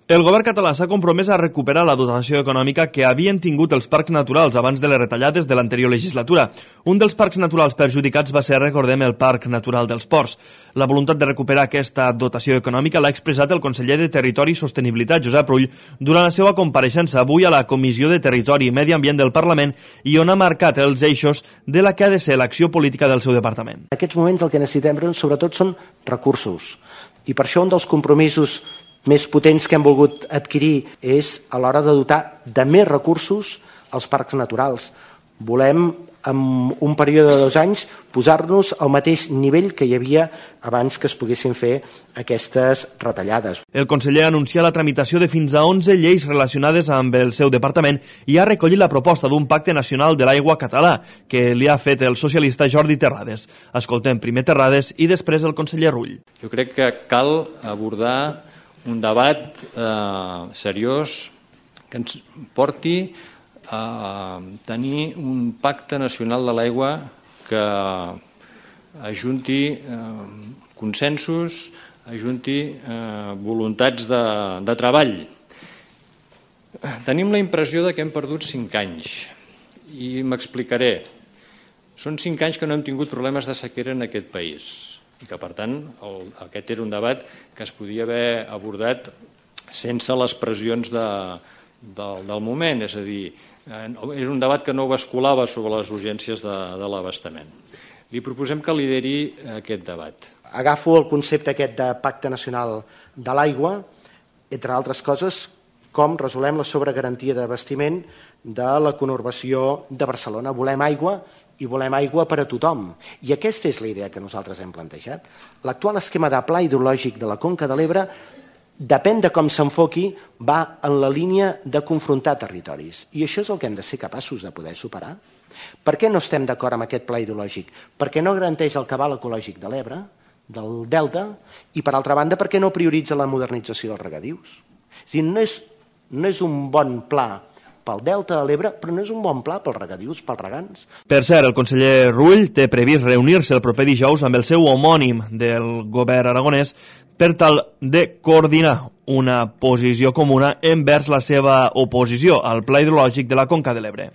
El govern català s'ha compromès a recuperar la dotació econòmica que havien tingut els parcs naturals abans de les retallades de l'anterior legislatura. Un dels parcs naturals perjudicats va ser, recordem, el Parc Natural dels Ports. La voluntat de recuperar aquesta dotació econòmica l'ha expressat el conseller de Territori i Sostenibilitat, Josep Rull, durant la seva compareixença avui a la Comissió de Territori i Medi Ambient del Parlament i on ha marcat els eixos de la que ha de ser l'acció política del seu departament. En aquests moments el que necessitem sobretot són recursos i per això un dels compromisos més potents que hem volgut adquirir és a l'hora de dotar de més recursos als parcs naturals. Volem, en un període de 2 anys, posar-nos al mateix nivell que hi havia abans que es poguessin fer aquestes retallades. El conseller ha anunciat la tramitació de fins a 11 lleis relacionades amb el seu departament i ha recollit la proposta d'un pacte nacional de l'aigua català que li ha fet el socialista Jordi Terrades. Escoltem primer Terrades i després el conseller Rull. Jo crec que cal abordar un debat seriós que ens porti a tenir un pacte nacional de l'aigua que ajunti consensos, ajunti voluntats de treball. Tenim la impressió que hem perdut 5 anys i m'explicaré. Són 5 anys que no hem tingut problemes de sequera en aquest país i que, per tant, aquest era un debat que es podia haver abordat sense les pressions del moment, és a dir, és un debat que no basculava sobre les urgències de l'abastament. Li proposem que lideri aquest debat. Agafo el concepte aquest de Pacte Nacional de l'Aigua, entre altres coses, com resolem la sobregarantia d'abastiment de la conurbació de Barcelona. Volem aigua i volem aigua per a tothom. I aquesta és la idea que nosaltres hem plantejat. L'actual esquema de pla hidrològic de la Conca de l'Ebre, depèn de com s'enfoqui, va en la línia de confrontar territoris. I això és el que hem de ser capaços de poder superar. Per què no estem d'acord amb aquest pla hidrològic? Perquè no garanteix el cabal ecològic de l'Ebre, del Delta, i per altra banda perquè no prioritza la modernització dels regadius. És a dir, no és un bon pla pel Delta de l'Ebre, però no és un bon pla pels regadius, pels regants. Per cert, el conseller Rull té previst reunir-se el proper dijous amb el seu homònim del govern aragonès per tal de coordinar una posició comuna envers la seva oposició al pla hidrològic de la Conca de l'Ebre.